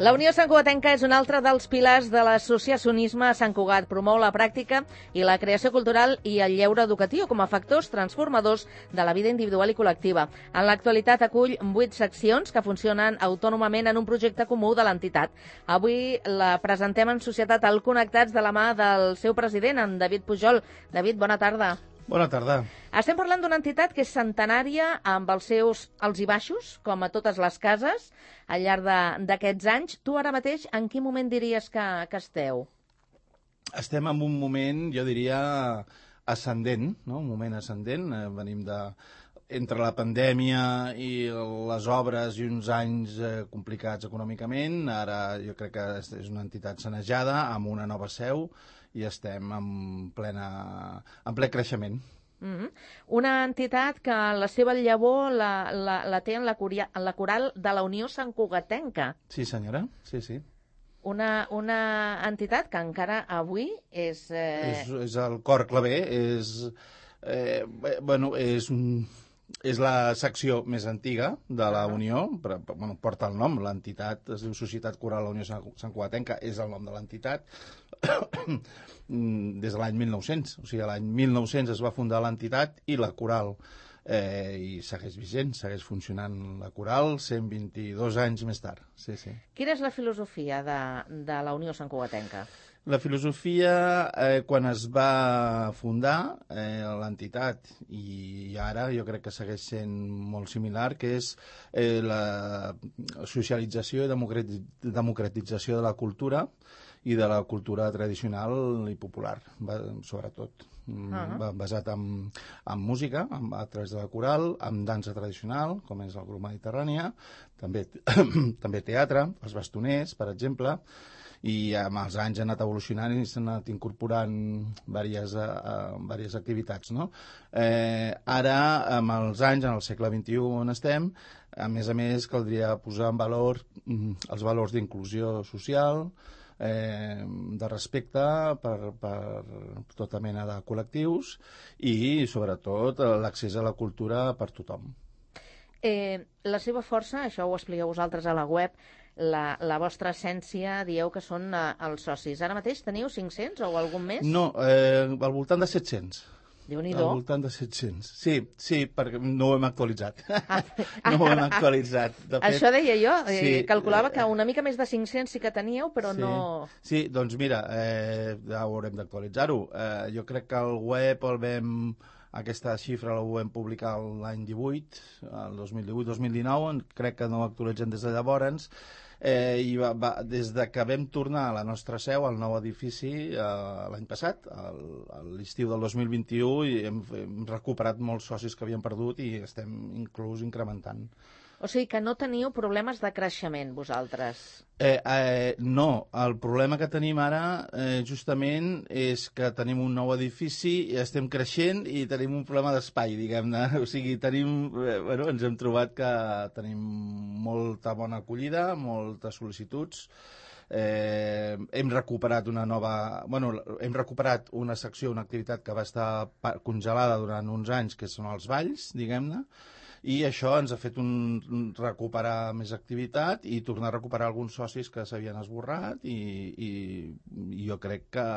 La Unió Santcugatenca és un altre dels pilars de l'associacionisme a Sant Cugat. Promou la pràctica i la creació cultural i el lleure educatiu com a factors transformadors de la vida individual i col·lectiva. En l'actualitat acull 8 seccions que funcionen autònomament en un projecte comú de l'entitat. Avui la presentem en Societat al Connectats de la mà del seu president, en David Pujol. David, bona tarda. Bona tarda. Estem parlant d'una entitat que és centenària amb els seus alts i baixos, com a totes les cases, al llarg d'aquests anys. Tu ara mateix en quin moment diries que esteu? Estem en un moment, jo diria, ascendent, no? Un moment ascendent. Venim entre la pandèmia i les obres i uns anys complicats econòmicament. Ara jo crec que és una entitat sanejada, amb una nova seu, i estem en ple creixement. Una entitat que la seva llavor la té en la coral de la Unió Santcugatenca. Sí, senyora, sí. Una entitat que encara avui és... És el cor claver, és la secció més antiga de la Unió, però, porta el nom, l'entitat es diu Societat Coral de la Unió Santcugatenca, és el nom de l'entitat, des de l'any 1900. O sigui, l'any 1900 es va fundar l'entitat i la coral, i segueix vigent, segueix funcionant la coral 122 anys més tard. Sí. Quina és la filosofia de la Unió Santcugatenca? La filosofia, quan es va fundar l'entitat, i ara jo crec que segueix sent molt similar, que és la socialització i democratització de la cultura i de la cultura tradicional i popular, sobretot. Basat en música, a través de la coral, en dansa tradicional, com és el grup Mediterrània, també teatre, els bastoners, per exemple, i amb els anys ha anat evolucionant i s'han anat incorporant diverses activitats, no? Ara, amb els anys, en el segle XXI on estem, a més, caldria posar en valor els valors d'inclusió social, de respecte per tota mena de col·lectius i, sobretot, l'accés a la cultura per tothom. La seva força, això ho expliqueu vosaltres a la web, la vostra essència, dieu que són els socis. Ara mateix teniu 500 o algun més? No, al voltant de 700. Déu-n'hi-do. Al voltant de 700. Sí, perquè no ho hem actualitzat. No ho hem actualitzat. De fet, això deia jo, calculava que una mica més de 500 sí que teníeu, però no... Sí, doncs mira, ja haurem d'actualitzar-ho. Jo crec que el web aquesta xifra la vam publicar l'any 18, el 2018-2019, crec que no actualitzem des de llavors, i des que vam tornar a la nostra seu, al nou edifici, l'any passat, a l'estiu del 2021, i hem recuperat molts socis que havíem perdut i estem inclús incrementant. O sigui que no teniu problemes de creixement, vosaltres? No, el problema que tenim ara justament és que tenim un nou edifici, estem creixent i tenim un problema d'espai, diguem-ne. O sigui, ens hem trobat que tenim molta bona acollida, moltes sol·licituds. Hem recuperat hem recuperat una secció, una activitat que va estar congelada durant uns anys, que són els balls, diguem-ne, i això ens ha fet recuperar més activitat i tornar a recuperar alguns socis que s'havien esborrat i jo crec que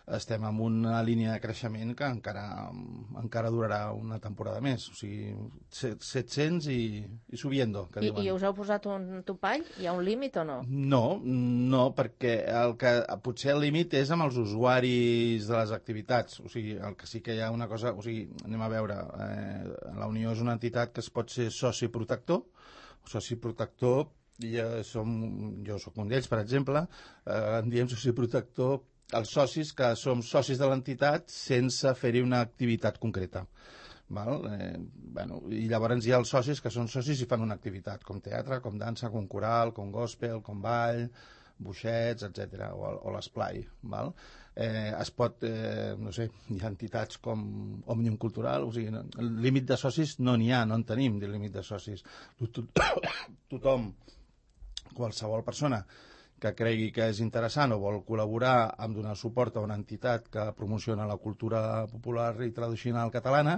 estem en una línia de creixement que encara durarà una temporada més. O sigui, 700 i subiendo, que diuen. I us heu posat un topall? Hi ha un límit o no? No, perquè potser el límit és amb els usuaris de les activitats. O sigui, el que sí que hi ha una cosa... O sigui, anem a veure, la Unió és una entitat que es pot ser soci protector. Soci protector, jo soc un d'ells, per exemple, en diem soci protector els socis que som socis de l'entitat sense fer-hi una activitat concreta. I llavors hi ha els socis que són socis i fan una activitat, com teatre, com dansa, com coral, com gospel, com ball, boixets, etc. o l'esplai. Es pot, no sé, hi ha entitats com Òmnium Cultural, o sigui, el límit de socis no n'hi ha, no en tenim de límit de socis. Tothom, qualsevol persona que cregui que és interessant o vol col·laborar amb donar suport a una entitat que promociona la cultura popular i tradicional catalana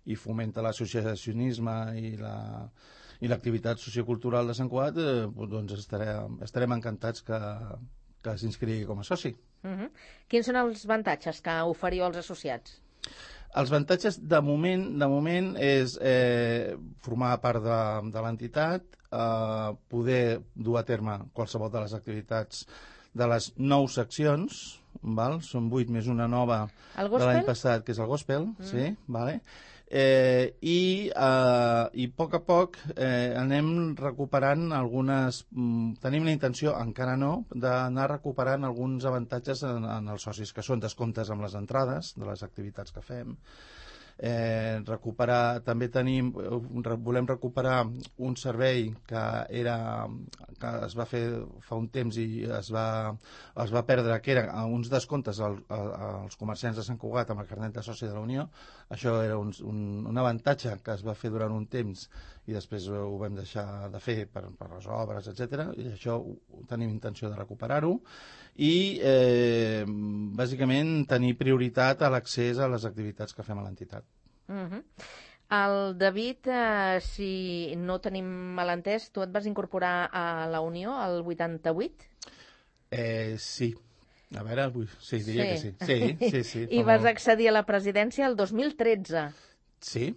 i fomenta l'associacionisme I l'activitat sociocultural de Sant Cugat, doncs estarem encantats que s'inscrigui com a soci. Quins són els avantatges que oferiu als associats? Els avantatges, de moment és formar part de l'entitat, poder dur a terme qualsevol de les activitats de les 9 seccions, val? Són 8 més una nova de l'any passat, que és el gospel, sí, vale? I a poc anem recuperant algunes... Tenim la intenció, encara no, d'anar recuperant alguns avantatges en els socis, que són descomptes amb les entrades de les activitats que fem. També volem recuperar un servei que es va fer fa un temps i es va perdre, que eren uns descomptes als comerciants de Sant Cugat amb el carnet de soci de la Unió. Això era un avantatge que es va fer durant un temps i després ho vam deixar de fer per les obres, etc. I això tenim intenció de recuperar-ho i bàsicament tenir prioritat a l'accés a les activitats que fem a l'entitat. El David, si no tenim malentès, tu et vas incorporar a la Unió el 88? Sí. A veure, sí, diria que sí. Sí. I vas accedir a la presidència el 2013. Sí.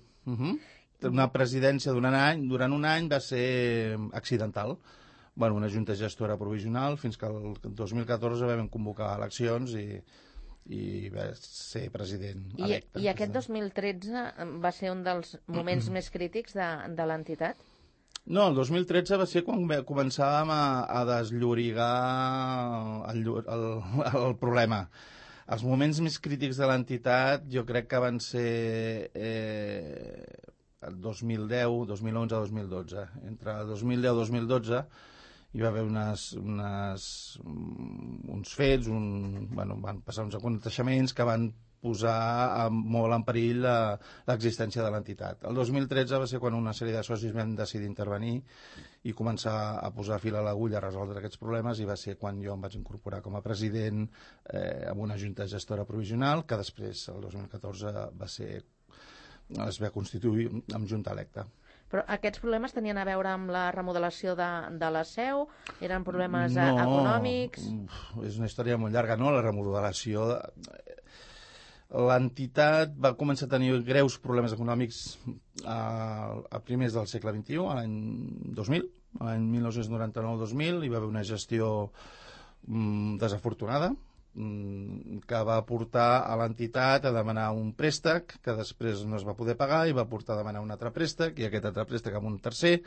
Una presidència durant un any va ser accidental. Bueno, una junta gestora provisional fins que el 2014 vam convocar eleccions i va ser president electe. I aquest 2013 va ser un dels moments més crítics de l'entitat? No, el 2013 va ser quan començàvem a desllorigar el problema. Els moments més crítics de l'entitat jo crec que van ser el 2010, 2011, 2012. Entre 2010 i 2012 hi va haver uns fets, van passar uns aconteixements que van posar molt en perill l'existència de l'entitat. El 2013 va ser quan una sèrie de socis vam decidir intervenir i començar a posar fil a l'agulla a resoldre aquests problemes, i va ser quan jo em vaig incorporar com a president amb una junta gestora provisional, que després, el 2014, es va constituir amb junta electa. Però aquests problemes tenien a veure amb la remodelació de la seu? Eren problemes econòmics? No, és una història molt llarga, no? La remodelació... L'entitat va començar a tenir greus problemes econòmics a primers del segle XXI, a l'any 2000, l'any 1999-2000, hi va haver una gestió desafortunada que va portar a l'entitat a demanar un préstec que després no es va poder pagar i va portar a demanar un altre préstec i aquest altre préstec amb un tercer,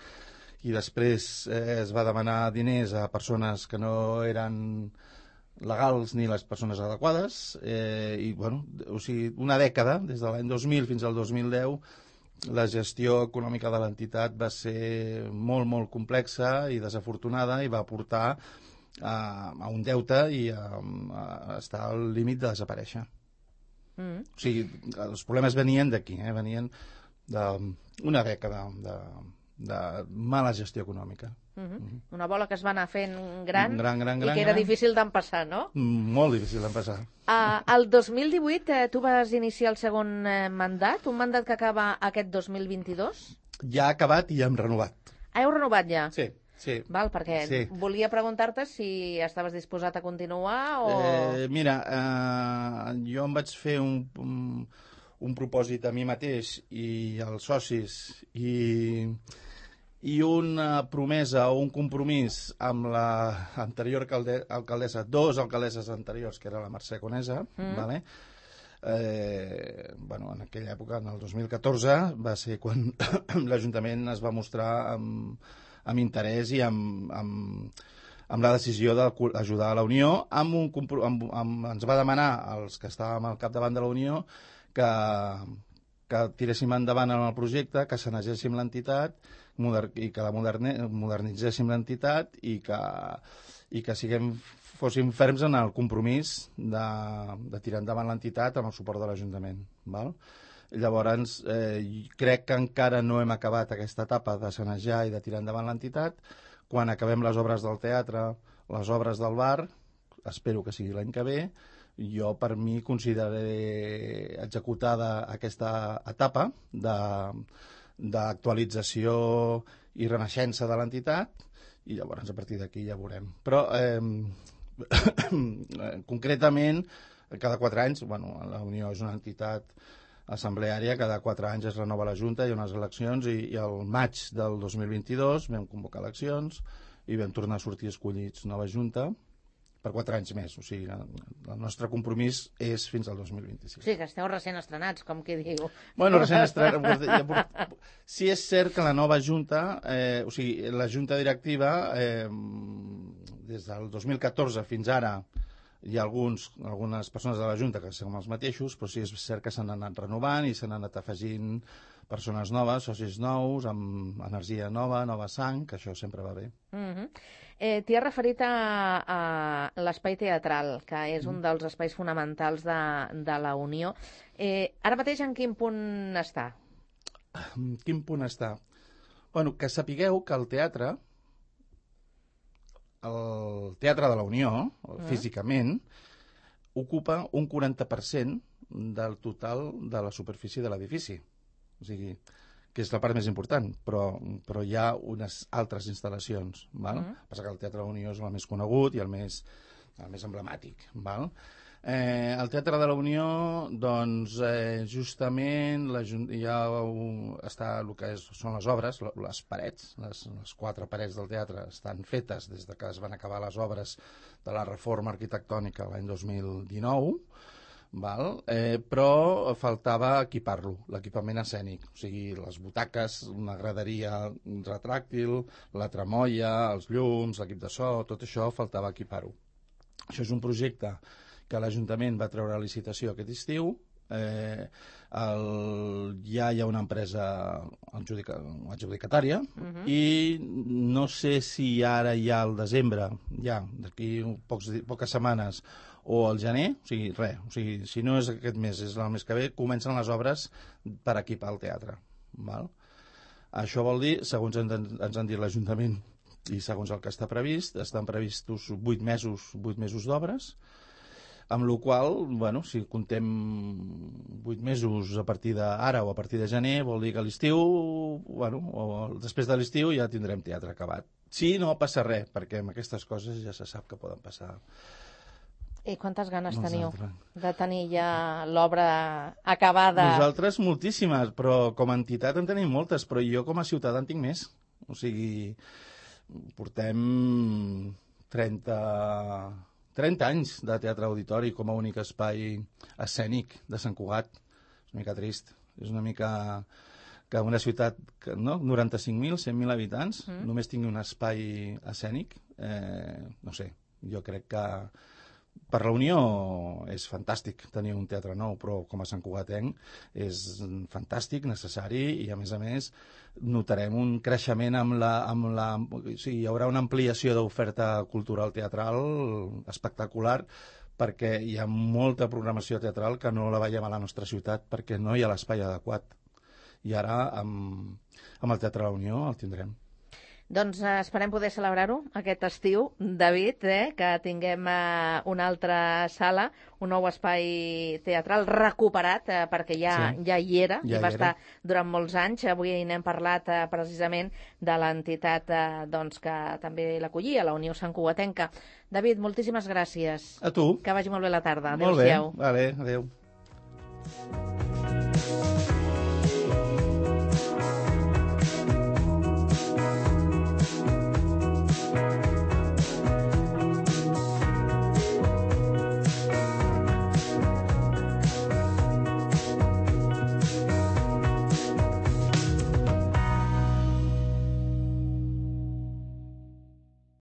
i després es va demanar diners a persones que no eren legals ni les persones adequades, i o sigui, una dècada, des de l'any 2000 fins al 2010, la gestió econòmica de l'entitat va ser molt, molt complexa i desafortunada, i va portar a un deute i a estar al límit de desaparèixer. O sigui, els problemes venien d'aquí, venien d'una dècada de mala gestió econòmica. Una bola que es va anar fent gran i que era difícil d'empassar, no? Molt difícil d'empassar. El 2018 tu vas iniciar el segon mandat, un mandat que acaba aquest 2022? Ja ha acabat i ja hem renovat. Heu renovat ja? Sí. Val, perquè volia preguntar-te si estaves disposat a continuar o... Mira, jo em vaig fer un propòsit a mi mateix i als socis i una promesa o un compromís amb l'anterior alcaldessa, 2 alcaldesses anteriors, que era la Mercè Conesa, vale? En aquella època, en el 2014, va ser quan l'Ajuntament es va mostrar amb interès i amb la decisió d'ajudar a la Unió. Ens va demanar, els que estàvem al capdavant de la Unió, que tiréssim endavant en el projecte, que sanegéssim l'entitat i que la modernitzéssim l'entitat i que fóssim ferms en el compromís de tirar endavant l'entitat amb el suport de l'Ajuntament. Llavors, crec que encara no hem acabat aquesta etapa de sanejar i de tirar endavant l'entitat. Quan acabem les obres del teatre, les obres del bar, espero que sigui l'any que ve, jo per mi consideraré executada aquesta etapa d'actualització i renaixença de l'entitat, i llavors a partir d'aquí ja veurem. Però, concretament, cada 4 anys, la Unió és una entitat assembleària, cada 4 anys es renova la Junta, hi ha unes eleccions, i al maig del 2022 vam convocar eleccions i vam tornar a sortir escollits nova Junta per 4 anys més. O sigui, el nostre compromís és fins al 2026. Sí, que esteu recent estrenats, com qui diu. Bueno, recent estrenats. Sí és cert que la nova Junta, o sigui, la Junta directiva, des del 2014 fins ara, hi ha algunes persones de la Junta que són els mateixos, però sí és cert que s'han anat renovant i s'han anat afegint persones noves, socis nous, amb energia nova, nova sang, que això sempre va bé. T'hi has referit a l'espai teatral, que és un dels espais fonamentals de la Unió. Ara mateix en quin punt està? En quin punt està? Bueno, que sapigueu que el teatre de la Unió, físicament, ocupa un 40% del total de la superfície de l'edifici. O sigui, que és la part més important, però hi ha unes altres instal·lacions. Val? Passa que el Teatre de la Unió és el més conegut i el més emblemàtic. Val? El Teatre de la Unió, doncs, justament està el que són les obres, les parets, les 4 parets del teatre estan fetes des que es van acabar les obres de la reforma arquitectònica l'any 2019, però faltava equipar-lo, l'equipament escènic, o sigui, les butaques, una graderia retràctil, la tramoia, els llums, l'equip de so, tot això faltava equipar-ho. Això és un projecte que l'Ajuntament va treure a licitació aquest estiu. Ja hi ha una empresa adjudicatària i no sé si ara ja al desembre, ja d'aquí poques setmanes, o al gener, o sigui, si no és aquest mes, és el mes que ve, comencen les obres per equipar el teatre. Val? Això vol dir, segons ens han dit l'Ajuntament i segons el que està previst, estan previstos 8 mesos d'obres, amb la qual cosa, si contem 8 mesos a partir d'ara o a partir de gener, vol dir que a l'estiu, o després de l'estiu ja tindrem teatre acabat. Sí, no passa res, perquè amb aquestes coses ja se sap que poden passar. I quantes ganes teniu de tenir ja l'obra acabada? Nosaltres moltíssimes, però com a entitat en tenim moltes, però jo com a ciutadà en tinc més. O sigui, portem 30 anys de teatre auditori com a únic espai escènic de Sant Cugat. És una mica trist. És una mica que una ciutat, 95.000, 100.000 habitants, només tingui un espai escènic. No sé, jo crec que per la Unió és fantàstic tenir un teatre nou, però com a santcugatenc és fantàstic, necessari, i a més notarem un creixement o sigui, hi haurà una ampliació d'oferta cultural teatral espectacular, perquè hi ha molta programació teatral que no la veiem a la nostra ciutat perquè no hi ha l'espai adequat. I ara amb el Teatre de la Unió el tindrem. Doncs esperem poder celebrar-ho aquest estiu, David, que tinguem una altra sala, un nou espai teatral recuperat, perquè ja hi era, i va estar durant molts anys. Avui n'hem parlat precisament de l'entitat que també l'acollia, la Unió Santcugatenca. David, moltíssimes gràcies. A tu. Que vagi molt bé la tarda. Adéu-siau. Molt bé, adéu.